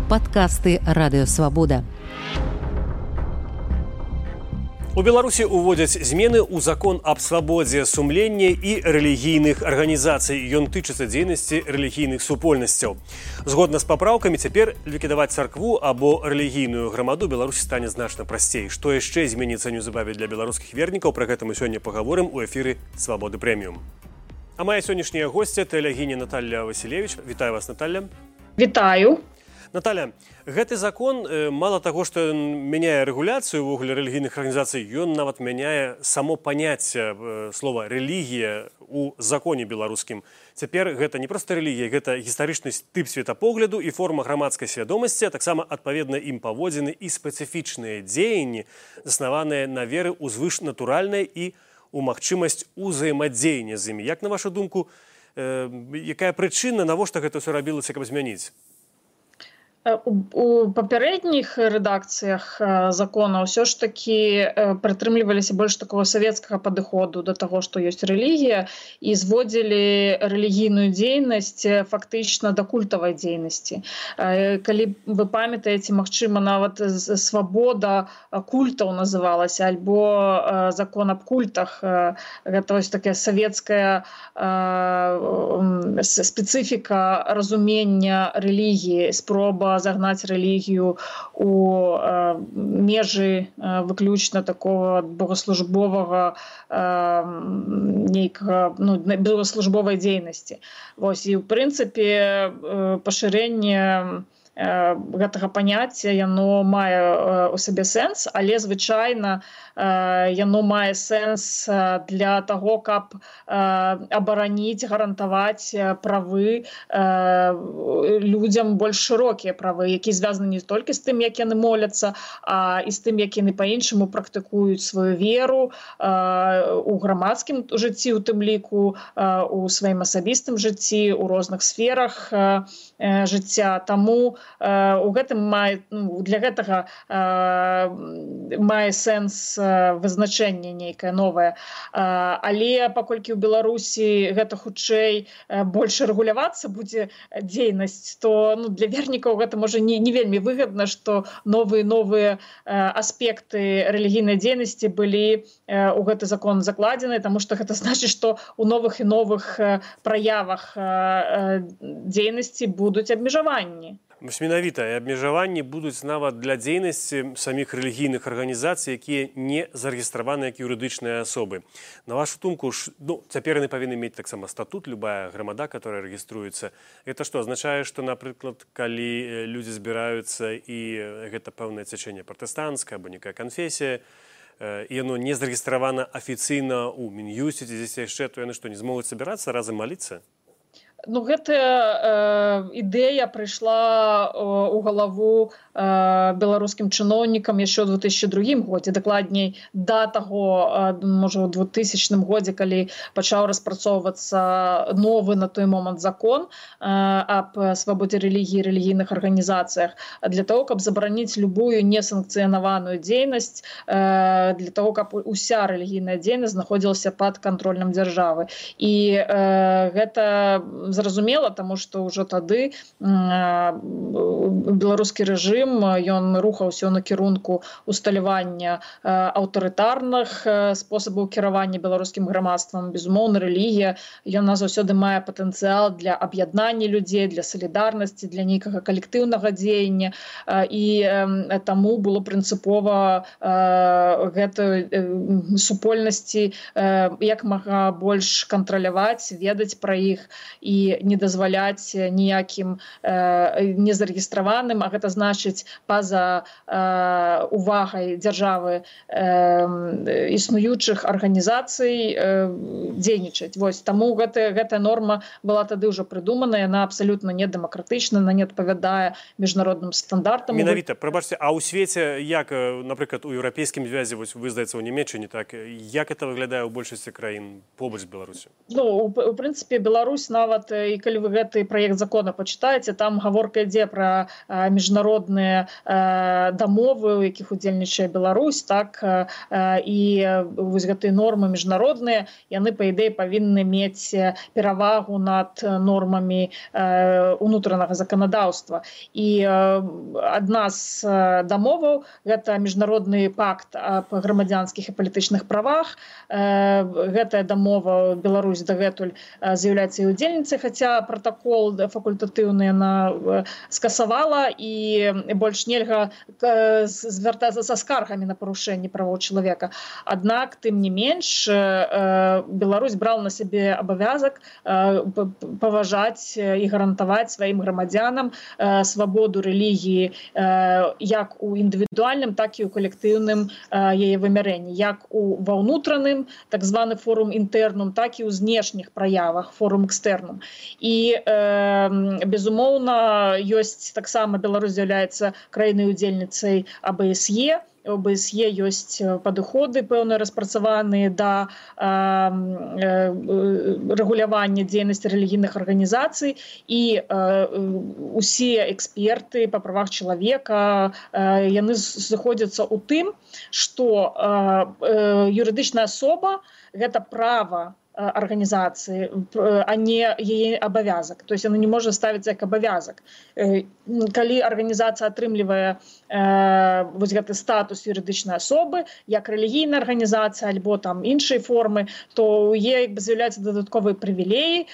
Падкасты Радыёвабода. У Беларусі ўводзяць змены ў закон аб свабодзе сумлення і рэлігійных арганізацый. Ён тычыцца дзейнасці рэлігійных супольнасцяў. Згодна з папраўкамі, цяпер ліквідаваць царкву або рэлігійную грамаду Беларусі стане значна прасцей. Што яшчэ зменіцца неўзабаве для беларускіх вернікаў, пра гэта мы сёння пагаворым у эфіры Свабоды Прэміум. А моя сённяшняя госця тэлегіня Наталья Васілевіч. Вітаю вас, Наталья. Вітаю. Наталья, гэты закон мало таго, што мяняе рэгуляцыю ўвогуле рэлігійных арганізацый, ён нават мяняе само паняцце слова рэлігія у законе беларускім. Цяпер гэта не проста рэлігія, гэта гістарычны тып светапогляду і форма грамадскай свядомасці, а таксама адпаведна ім паводзіны і спецыфічныя дзеянні, заснаваныя на веры ў звышнатуральнае і у магчымасць узаемадзеяння з імі. Як на вашу думку, якая прычына, навошта гэта ўсё рабілася, каб змяніць? У папярэдніх рэдакцыях закона ўсё ж такі прытрымліваліся больш такого савецкага падыходу да таго, што ёсць рэлігія, і зводзілі рэлігійную дзейнасць фактычна да культавай дзейнасці. Калі вы памятаеце, магчыма, нават свабода культаў называлася, альбо закон аб культах. Гэта вось такая савецкая спецыфіка разумення рэлігіі, спроба загнаць рэлігію у межы выключна такого богаслужбовага нейкага, богаслужбовай дзейнасці. Вось, і ў прынцыпе пашырэнне гэтага паняцця, яно мае у сабе сэнс, але звычайна яно мае сэнс для таго, каб абараніць, гарантаваць правы людзям больш шырокія правы, якія звязаны не толькі з тым, як яны моляцца, а і з тым, як яны па-іншаму практыкуюць сваю веру у грамадскім жыцці, у тым ліку, у сваім асабістым жыцці, у розных сферах жыцця. Таму у гэтым для гэтага мае сэнс вызначэнне нейкае новае. Але паколькі ў Беларусі гэта хутчэй больш рэгулявацца будзе дзейнасць, то для вернікаў гэта можа не вельмі выгадна, што новыя аспекты рэлігійнай дзейнасці былі ў гэты закон закладзены, таму што гэта значыць, што ў новых і новых праявах дзейнасці будуць абмежаванні. Менавіта, і абмежаванні будуць нават для дзейнасці саміх рэлігійных арганізацый, якія не зарэгістраваны як юрыдычныя асобы. На вашу думку, цяпер яны павінны мець таксама статут, любая грамада, которая рэгіструецца. Гэта што, азначае, што, напрыклад, калі людзі збіраюцца і гэта пэўнае цячэнне пратэстанцкае або некая канфесія, і яно не зарэгістравана афіцыйна ў Мін'юсце ці дзесь яшчэ, то яны што, не змогуць сабірацца разам маліцца? Гэтая ідэя прыйшла ў галаву беларускім чыноўнікам яшчэ ў 2002 годзе, дакладней да таго, можа, у 2000 годзе, калі пачаў распрацоўвацца новы на той момант закон аб свабодзе рэлігіі і рэлігійных арганізацыях, для того, каб забараніць любую несанкцыянаваную дзейнасць, для того, каб уся рэлігійная дзейнасць знаходзілася пад кантролем дзяржавы. І гэта зразумела, таму што ўжо тады беларускі рэжым, ён рухаўся ў накірунку усталявання аўтарытарных спосабаў кіравання беларускім грамадствам. Безумоўна, рэлігія, яна заўсёды мае патэнцыял для аб'яднання людзей, для салідарнасці, для нейкага калектыўнага дзеяння, і таму было прынцыпова гэтую супольнасці як мага больш кантраляваць, ведаць пра іх і не дазваляць ніякім незарэгістраваным, а гэта значыць па-за увагай дзяржавы існуючых арганізацый дзейнічаць. Вось, таму гэтая норма была тады ўжо прыдумана, яна абсалютна недэмакратычна, она не адпавядае міжнародным стандартам. Менавіта, прабачце, а ў свеце, як, напрыклад, у еўрапейскім звязе, вось вы, здаецца, ў Нямецчыне, так, як это выглядае ў большасці краін побач з Беларусю? У прынцыпе, Беларусь нават і калі вы гэты праект закона пачытаеце, там гаворка ідзе пра міжнародныя дамовы, у якіх удзельнічае Беларусь, так, і вось гэтыя нормы міжнародныя, яны, па ідэі, павінны мець перавагу над нормамі унутранага заканадаўства. І адна з дамоваў – гэта міжнародны пакт аб грамадзянскіх і палітычных правах. Гэтая дамова Беларусь дагэтуль з'яўляецца і удзельніцай, хаця протакол факультатыўны яна скасавала, і больш нельга звяртацца са скаргамі на парушэнне правоў чалавека. Аднак, тым не менш, Беларусь брала на сябе абавязак паважаць і гарантаваць сваім грамадзянам свабоду рэлігіі як у індывідуальным, так і ў калектыўным яе вымярэнні, як ва ўнутраным, так званы форум інтэрнум, так і ў знешніх праявах, форум экстэрнум. І, безумоўна, ёсць таксама Беларусь з'яўляецца краінай-удзельніцай АБСЕ. У АБСЕ ёсць падыходы пэўныя распрацаваныя да рэгулявання дзейнасці рэлігійных арганізацый, і усе эксперты па правах чалавека яны сыходзяцца ў тым, што юрыдычная асоба – гэта права организации, а не яе абавязак. То есть она не может ставиться як абавязак. Калі организация атрымлівае вось гэты статус юрыдычнай асобы, як рэлігійная арганізацыя альбо там іншыя формы, то у яе з'яўляюцца дадатковыя прывілеі,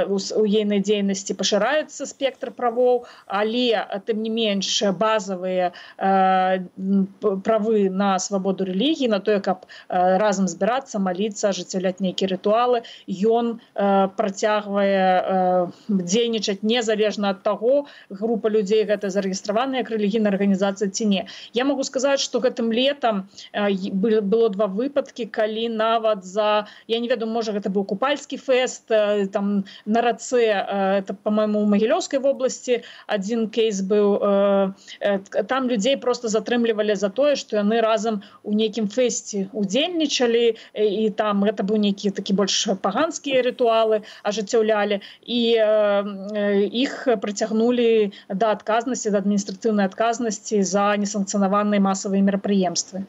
у ейнай дзейнасці пашыраецца спектр правоў, але тым не менш базавыя правы на свабоду рэлігіі, на тое, каб разам збірацца, маліцца, ажыццяўляць нейкія ритуалы, ён працягвае дзейнічаць незалежна ад таго, група людзей гэта зарэгістраваная як рэлігійная арганізацыя ці не. Я могу сказаць, што гэтым летам было два выпадкі, калі нават за, я не ведаю, можа гэта быў купальскі фэст, там на рацэ, это, па-майму, у Магілёўскай вобласці адзін кейс быў, там людзей просто затрымлівалі за тое, што яны разам у нейкім фэсце удзельнічалі, і там гэта быў нейкі такі больш паганскія рытуалы ажыццяўлялі, і іх прыцягнулі да адказнасці, да адміністратыўнай адказнасці за несанкцыянаваныя масавыя мерапрыемствы.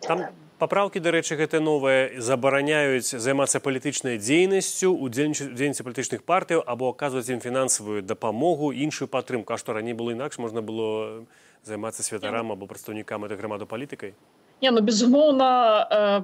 Там папраўкі, дарэчы, гэта новыя, забараняюць займацца палітычнай дзейнасцю, удзельніцай палітычных партыяў або аказваць ім фінансавую дапамогу, іншую падтрымку. А што раней было інакш, можна было займацца святарам або прадстаўнікам этой грамады палітыкай? Не, ну, безумоўна,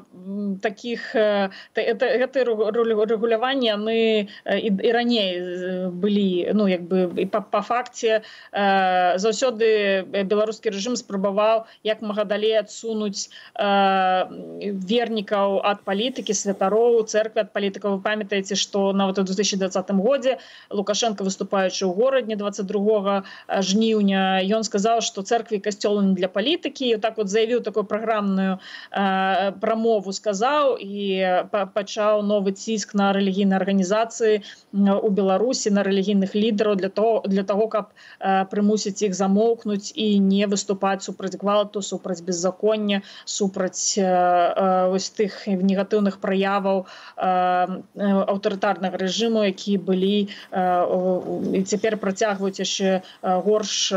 таких, гэтыя рэгуляванні, яны і раней былі, ну, як бы, і па факце, заўсёды беларускі рэжым спрабаваў як мага далей адсунуць вернікаў ад палітыкі, святароў, цэрквы ад палітыкаў. Вы памятаеце, што нават у 2020 годзе Лукашенко, выступаючы ў горадні 22 жніўня, ён сказаў, што цэрквы і касцёлы не для палітыкі, і так вот заявіў такую праграмную прамову, сказаў, і пачаў новы ціск на рэлігійныя арганізацыі у Беларусі, на рэлігійных лідараў для таго, каб прымусіць іх замоўкнуць і не выступаць супраць гвалту, супраць беззаконня, супраць вось тых негатыўных праяваў аўтарытарнага рэжыму, якія былі і цяпер працягваюць яшчэ горш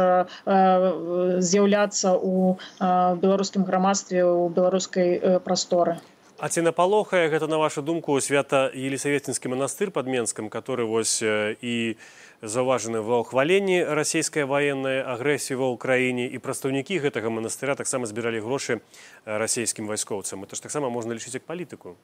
з'яўляцца ў беларускім грамадстве, у беларускай прасторы. А ці напалохае гэта, на вашу думку, Свята-Елісаветінскі манастыр пад Менскам, который вось і заўважаны ва ўхваленні расійскай ваеннай агрэсіі ва ўкраіне, і прадстаўнікі гэтага манастыра таксама збіралі грошы расійскім вайскоўцам. Это ж таксама можна лічыць як палітыку.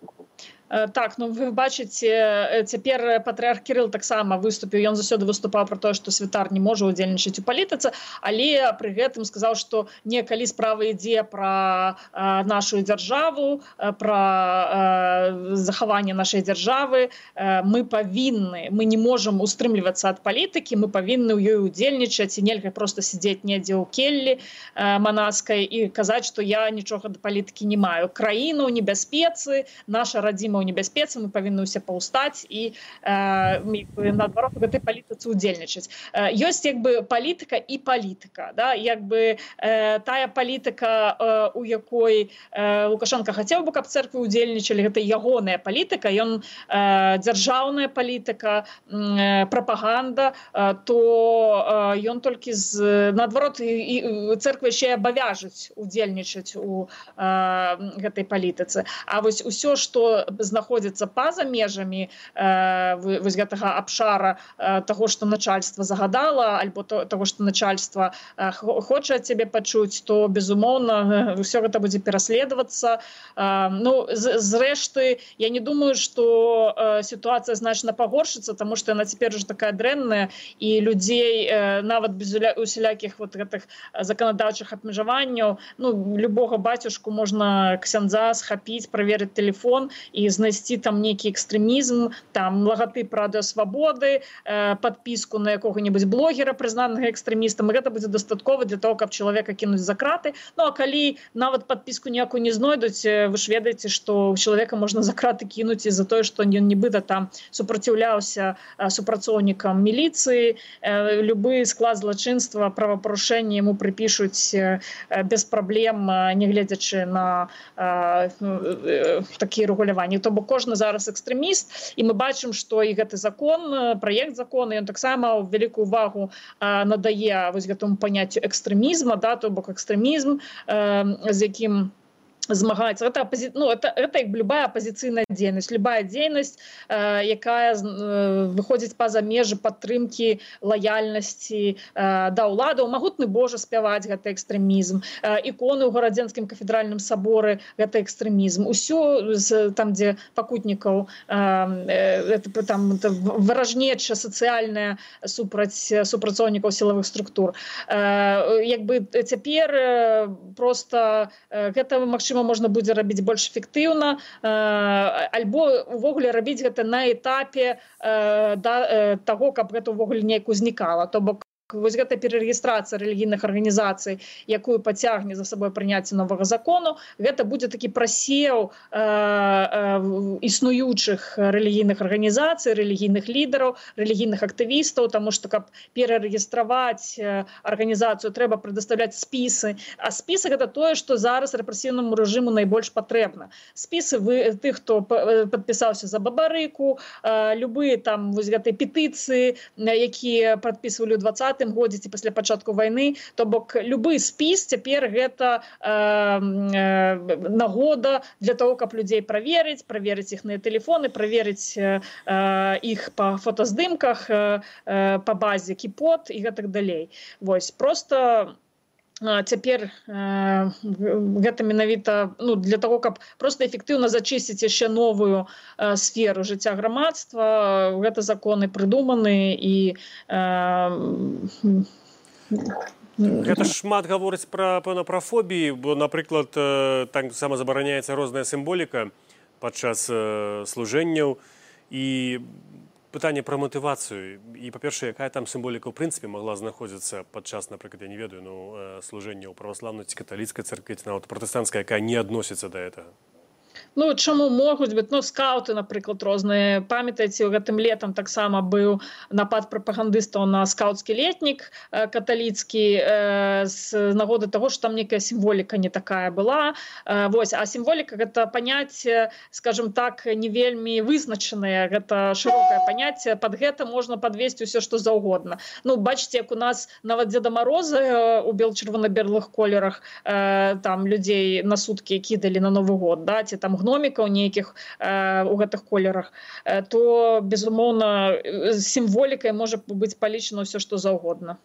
Так, ну вы бачыце, цяпер патрыарх Кірыл таксама выступіў, ён заўсёды выступаў пра тое, што святар не можа ўдзельнічаць у палітыцы, але пры гэтым сказаў, што не калі справа ідзе пра нашу дзяржаву, пра захаванне нашай дзяржавы, мы не можам устрымлівацца ад палітыкі, мы павінны ў ёй удзельнічаць, і нельга проста сидзець недзе ў келлі манаскай і казаць, што я нічога да палітыкі не маю. Краіна ў небяспецы, наша радзіма ў небяспецы, мы павінны ўсе паўстаць і наадварот у гэтай палітыцы удзельнічаць. Ёсць як бы палітыка і палітыка, да? Як бы тая палітыка, у якой Лукашенко хацеў бы, каб церквы удзельнічалі, гэта ягоная палітыка, ён дзяржаўная палітыка, прапаганда, то ён толькі наадварот церква яшчэ абавяжуць удзельнічаць у гэтай палітыцы. А вось усё, што знаходзіцца па-за межамі вось гэтага абшара таго, што начальства загадала, альбо таго, што начальства хоча ад цябе пачуць, то, безумоўна, ўсё гэта будзе пераследавацца. Ну, зрэшты, я не думаю, што сітуацыя значна пагоршыцца, таму што яна цяпер уже такая дрэнная, і людзей нават без усялякіх вот гэтых заканадаўчых абмежаванняў, ну, любога бацюшку можна ксяндза схапіць, праверыць телефон і знайсці там нейкі экстрэмізм, там лагатып Радыё Свабоды, подпіску на якога-небудзь блогера, прызнанага экстрэмістам, і гэта будзе дастаткова для того, каб чалавека кінуць за краты. Ну, а калі нават подпіску ніякую не знойдуць, вы ж ведаеце, што чалавека можна за краты кінуць і за тое, што ён нібыта там супраціўляўся супрацоўнікам міліцыі, любы склад злачынства, правапарушэнне яму прыпішуць без праблем, нягледзячы на такія рэгуляванні. То бок кожны зараз экстрэміст, і мы бачым, што і гэты закон, праект закона, ён таксама вялікую увагу надае вось гэтаму паняццю экстрэмізма, да, то бок экстрэмізм, з якім змагаецца. Это як любая апозіцыйная дзейнасць. Любая дзейнасць, якая выходзіць па-за межы падтрымкі лаяльнасці да ўладаў. Магутны Божа спяваць — гэта экстрэмізм. Іконы ў гарадзенскім кафедральным саборы — гэта экстрэмізм. Усё там, дзе пакутнікаў, там выражнеча сацыяльная супрацоўнікаў сілавых структур. Як бы цяпер просто гэта, магчыма, можна будзе рабіць больш эфектыўна, альбо увогуле рабіць гэта на этапе таго, каб гэта ўвогуле неяк узнікала. То бок вось гэта перарэгістрацыя рэлігійных арганізацый, якую пацягне за сабой прыняцце новага закону, гэта будзе такі прасеў існуючых рэлігійных арганізацый, рэлігійных лідараў, рэлігійных актывістаў, таму што, каб перарэгістраваць арганізацыю, трэба прадастаўляць спісы. А спісы — гэта тое, што зараз рэпрэсіўнаму рэжыму найбольш патрэбна. Спісы тых, хто падпісаўся за бабарыку, любыя там вось гэтай петыцыі, якія падпісвалі ў 20 годзе ці пасля пачатку вайны. То бок любы спіс цяпер гэта нагода для того, каб людзей праверыць іхныя тэлефоны, праверыць іх па фотаздымках, па базе Кіпот і гэтак далей. Вось, просто цяпер гэта менавіта для того, каб просто эфектыўна зачысціць яшчэ новую сферу жыцця грамадства. Гэта законы прыдуманы, і гэта шмат гаворыць пра фобіі, бо, напрыклад, так сама забараняецца розная сімволіка падчас служэнняў, і пытанне пра матывацыю. І, па-першае, якая там сімволіка ў прынцыпе магла знаходзіцца падчас, напрыклад, я не ведаю, служэння ў праваслаўнай ці каталіцкай царкве, ці нават пратэстанцкай, якая не адносіцца да гэтага? Ну, чаму могуць быць? Ну, скаўты, напрыклад, розныя. Памятаеце, гэтым летам таксама быў напад прапагандыстаў на скаўцкі летнік каталіцкі з нагоды таго, што там некая сімволіка не такая была. Вось. А сімволіка — гэта паняцце, скажем так, не вельмі вызначанае. Гэта шырокае паняцце. Пад гэта можна падвесці ўсё, што заўгодна. Ну, бачыце, як у нас нават Дзеда Мароза у бел-чырвона-белых колерах там людзей на суткі кідалі на Новы год, да, ці там гномікаў нейкіх у гэтых колерах, то, безумоўна, сімволікай можа быць палічана ўсё, што заўгодна.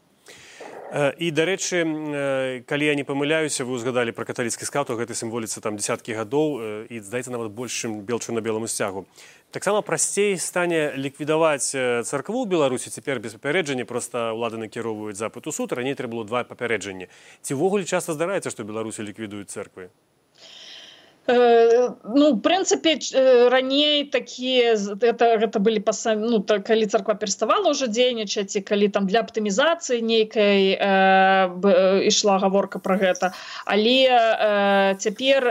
І, дарэчы, калі я не памыляюся, вы узгадалі пра каталіцкі скаўт, гэтай сімволіцы там дзесяткі гадоў, і, здаецца, нават больш, чым бел-чырвона-беламу сцягу. Таксама прасцей стане ліквідаваць царкву ў Беларусі цяпер без папярэджання, проста ўлады накіроўваюць запыт у суд, раней трэба было 2 папярэджання. Ці ўвогуле часта здараецца, што ў Беларусі ліквідуюць цэрквы? Ну, в прынцыпе, раней такія гэта былі калі царква пераставала ўжо дзейнічаць, і калі там для аптымізацыі нейкай ішла гаворка пра гэта. Але цяпер,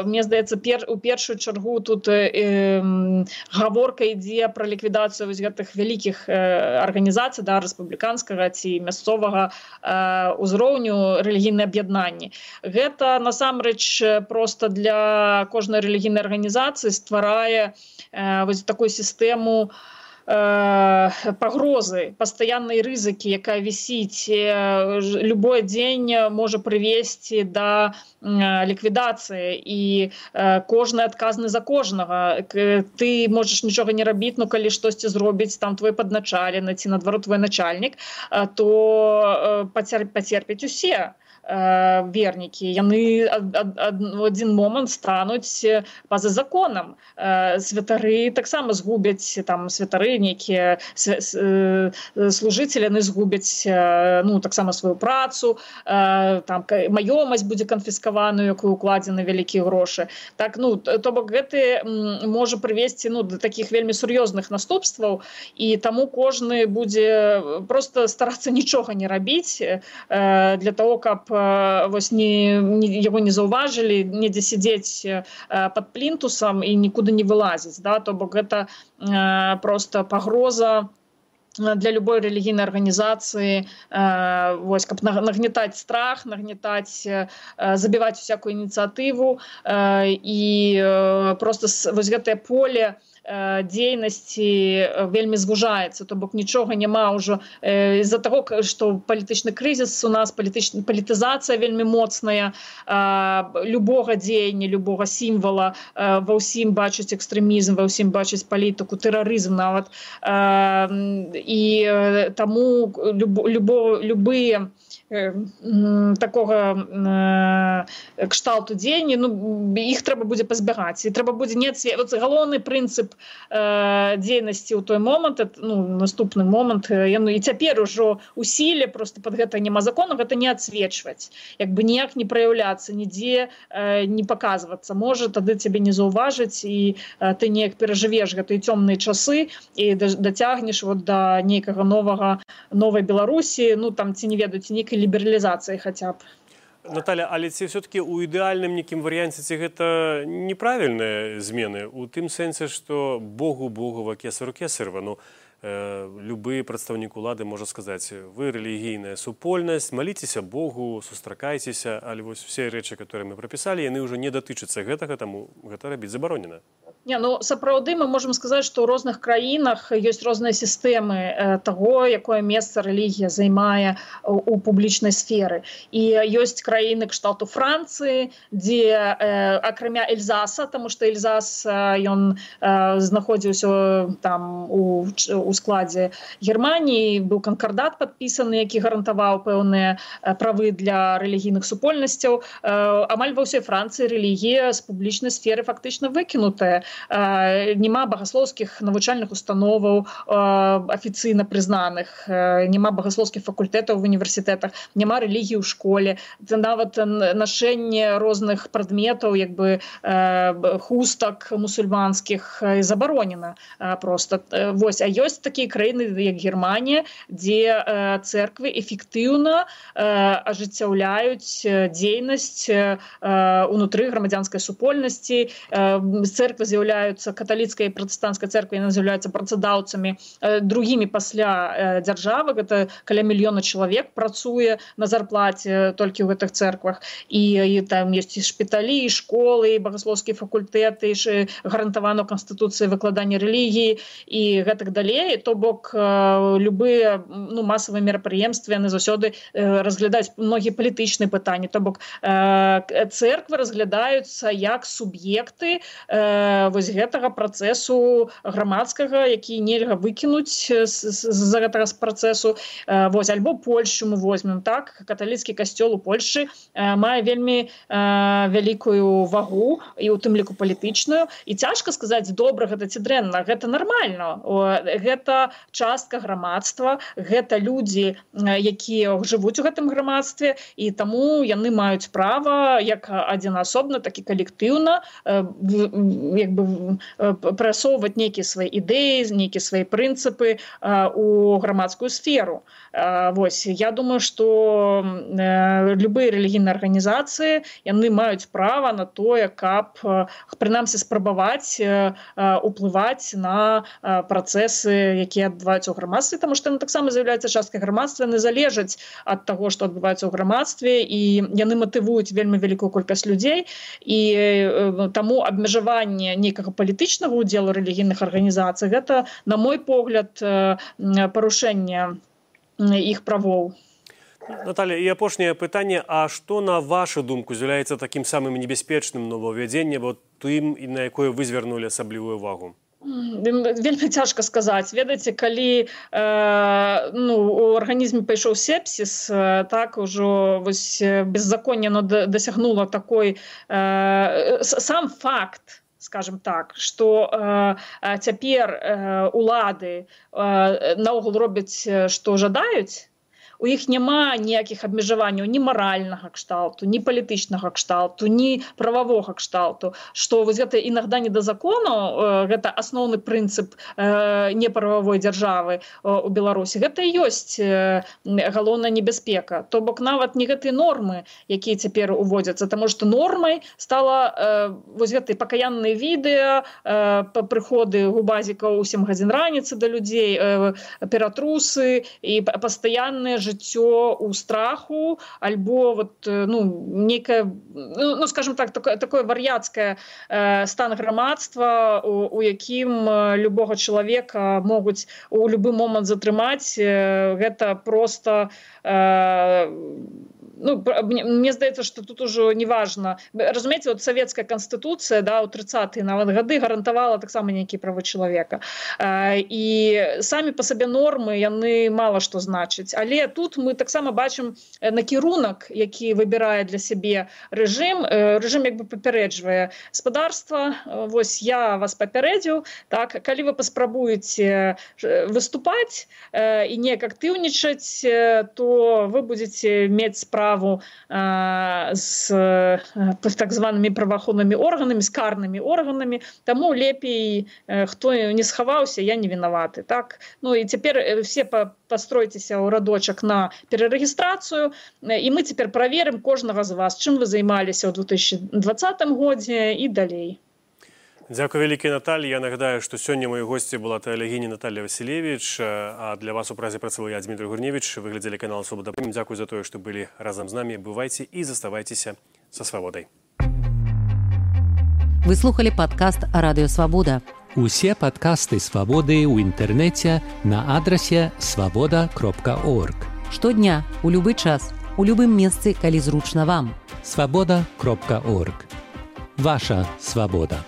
мне здаецца, у першую чаргу тут гаворка ідзе пра ліквідацыю вось гэтых вялікіх арганізацый, рэспубліканскага ці мясцовага ўзроўню рэлігійныя аб'яднанні. Гэта насамрэч проста для кожнай рэлігійнай арганізацыі стварае вось такую сістэму пагрозы, пастаяннай рызыкі, якая вісіць. Любой дзень можа прывесці да ліквідацыі, і кожны адказны за кожнага. Ты можаш нічога не рабіць, но калі штосьці зробіць там твой падначалены ці наадварот твой начальнік, то пацерпяць усе вернікі. Яны в адзін момант стануць па-за законам. Святары таксама згубяць, там святары нейкія служыцелі, яны згубяць таксама сваю працу, там маёмасць будзе канфіскаваную, якую укладзены вялікія грошы. Так, то бок гэты можа прывесці да такіх вельмі сур'ёзных наступстваў, і таму кожны будзе проста старацца нічога не рабіць для того, каб яго не заўважылі, недзе сядзець пад плінтусам і нікуды не вылазіць. То бок гэта проста пагроза для любой рэлігійнай арганізацыі, каб нагнетаць страх, забіваць усякую ініцыятыву, і проста вось гэтае поле дзейнасці вельмі звужаецца, то бок нічога няма ўжо з-за таго, што палітычны крызіс у нас, палітызацыя вельмі моцная, любога дзеяння, любога сімвала, ва ўсім бачыць экстрэмізм, ва ўсім бачыць палітыку, тэрарызм нават, і таму любыя такога кшталту дзеянні, іх трэба будзе пазбягаць, і трэба будзе галоўны прынцып дзейнасці ў той момант, наступны момант, і цяпер ужо у сіле, просто пад гэта няма закону, гэта не адсвечваць, ніяк не праяўляцца, нідзе не паказвацца. Можа, тады цябе не заўважыць, і ты неяк перажывеш гэтыя цёмныя часы і дацягнеш да нейкага новай Беларусі, там ці не ведаюць, нейкай лібералізацыі хаця б. Наталя, але ці все-таки у ідэальным нейкім варыянце ці гэта неправільныя змены? У тым сэнсе, што Богу Богова, кесару кесарова. Любы прадстаўнік улады можа сказаць, вы рэлігійная супольнасць, маліцеся Богу, сустракайцеся, але вось все рэчы, которые мы прапісалі, яны ўжо не датычацца гэтага, таму гэта рабіць забаронена. Сапраўды мы можам сказаць, што ў розных краінах ёсць розныя сістэмы таго, якое месца рэлігія займае у публічнай сферы. І ёсць краіны кшталту Францыі, дзе акрамя Эльзаса, таму што Эльзас ён знаходзіўся там у складзе Германіі, быў канкардат падпісаны, які гарантаваў пэўныя правы для рэлігійных супольнасцяў. Амаль ва ўсёй Францыі рэлігія з публічнай сферы фактычна выкінутая. Няма багаслоўскіх навучальных установаў афіцыйна прызнаных, няма багаслоўскіх факультэтаў в універсітэтах, няма рэлігіі ў школе, нават нашэнне розных прадметаў, хустак мусульманскіх забаронена проста. А ёсць такія краіны, як Германія, дзе цэрквы эфектыўна ажыццяўляюць дзейнасць унутры грамадзянскай супольнасці. Цэрквы з'яўляюцца, каталіцкая і пратэстанцкая цэрква, яны з'яўляюцца працадаўцамі другімі пасля дзяржавы. Гэта каля 1 мільёна чалавек працуе на зарплаце толькі ў гэтых цэрквах. І там ёсць і шпіталі, і школы, і багаслоўскія факультэты, і гарантавана ў Канстытуцыі выкладанне рэлігіі і гэтак далей. То бок любыя масавыя мерапрыемствы, яны заўсёды разглядаюць многія палітычныя пытанні. То бок цэрквы разглядаюцца як суб'екты вось гэтага працэсу грамадскага, які нельга выкінуць з-за гэтага працэсу. Вось, альбо Польшу мы возьмем, так? Каталіцкі касцёл у Польшы мае вельмі вялікую вагу, і ў тым ліку палітычную. І цяжка сказаць, добра гэта ці дрэнна, гэта нармальна. Гэта частка грамадства, гэта людзі, якія жывуць у гэтым грамадстве, і таму яны маюць права як адзінасобна, так і калектыўна прасоўваць нейкія свае ідэі, нейкія свае прынцыпы у грамадскую сферу. Вось, я думаю, што любыя рэлігійныя арганізацыі, яны маюць права на тое, каб прынамсі спрабаваць уплываць на працэсы, якія адбываюцца ў грамадстве, таму што яны таксама з'яўляюцца часткай грамадства, яны залежаць ад таго, што адбываецца ў грамадстве, і яны матывуюць вельмі вялікую колькасць людзей, і таму абмежаванне нейкага палітычнага ўдзелу рэлігійных арганізацый, гэта, на мой погляд, парушэнне іх правоў. Наталья, і апошняе пытанне, а што, на вашу думку, з'яўляецца такім самым небяспечным новаўвядзеннем, тым, на якое вы звярнулі асаблівую увагу? Вельмі цяжка сказаць. Ведаеце, калі у арганізме пайшоў сепсіс, так ужо беззаконне дасягнула такой сам факт, скажем так, што цяпер улады наогул робяць, што жадаюць, у іх няма ніякіх абмежаванняў ні маральнага кшталту, ні палітычнага кшталту, ні прававога кшталту, што вось гэта інагда не да закону, гэта асноўны прынцып неправавой дзяржавы у Беларусі. Гэта і ёсць галоўная небяспека. То бок нават не гэтыя нормы, якія цяпер уводзяцца, таму што нормай стала вось гэтыя пакаянныя відэа, прыходы губазікаў у 7 гадзін раніцы да людзей, ператрусы і пастаянныя жыццё ў страху, альбо некае, скажем так, такое вар'яцкае стан грамадства, у якім любога чалавека могуць у любы момант затрымаць. Гэта проста мне здаецца, што тут ужо не важна. Разумееце, савецкая канстытуцыя, у 30-е нават гады гарантавала таксама нейкія правы чалавека. І самі па сабе нормы, яны мала што значаць. Але тут мы таксама бачым накірунак, які выбірае для сябе рэжым. Рэжым як бы папярэджвае спадарства. Вось я вас папярэдзіў. Так, калі вы паспрабуеце выступаць і неяк актыўнічаць, то вы будзеце мець справу з так званымі праваахоўнымі органамі, з карнымі органамі. Таму лепей, хто не схаваўся, я не вінаваты. Так? І цяпер все пастройцеся ў радочак на перарэгістрацыю, і мы цяпер праверым кожнага з вас, чым вы займаліся ў 2020 годзе і далей. Дзякуй вялікія, Наталья. Я нагадаю, што сёння моёй госці была тэалегіня Наталья Васілевіч, а для вас у празе працаваў я, Дмітрий Гурневіч. Вы глядзелі канал «Свобода». Дзякуй за тое, што былі разам з намі. Бывайце і заставайцеся са свабодай. Вы слухали падкаст «Радыё Свабода». Усе падкасты «Свабоды» ў інтэрнэце на адрасе свабода.орг. Штодня, у любы час, у любым месцы, калі зручна вам. Свабода.орг. Ваша свабода.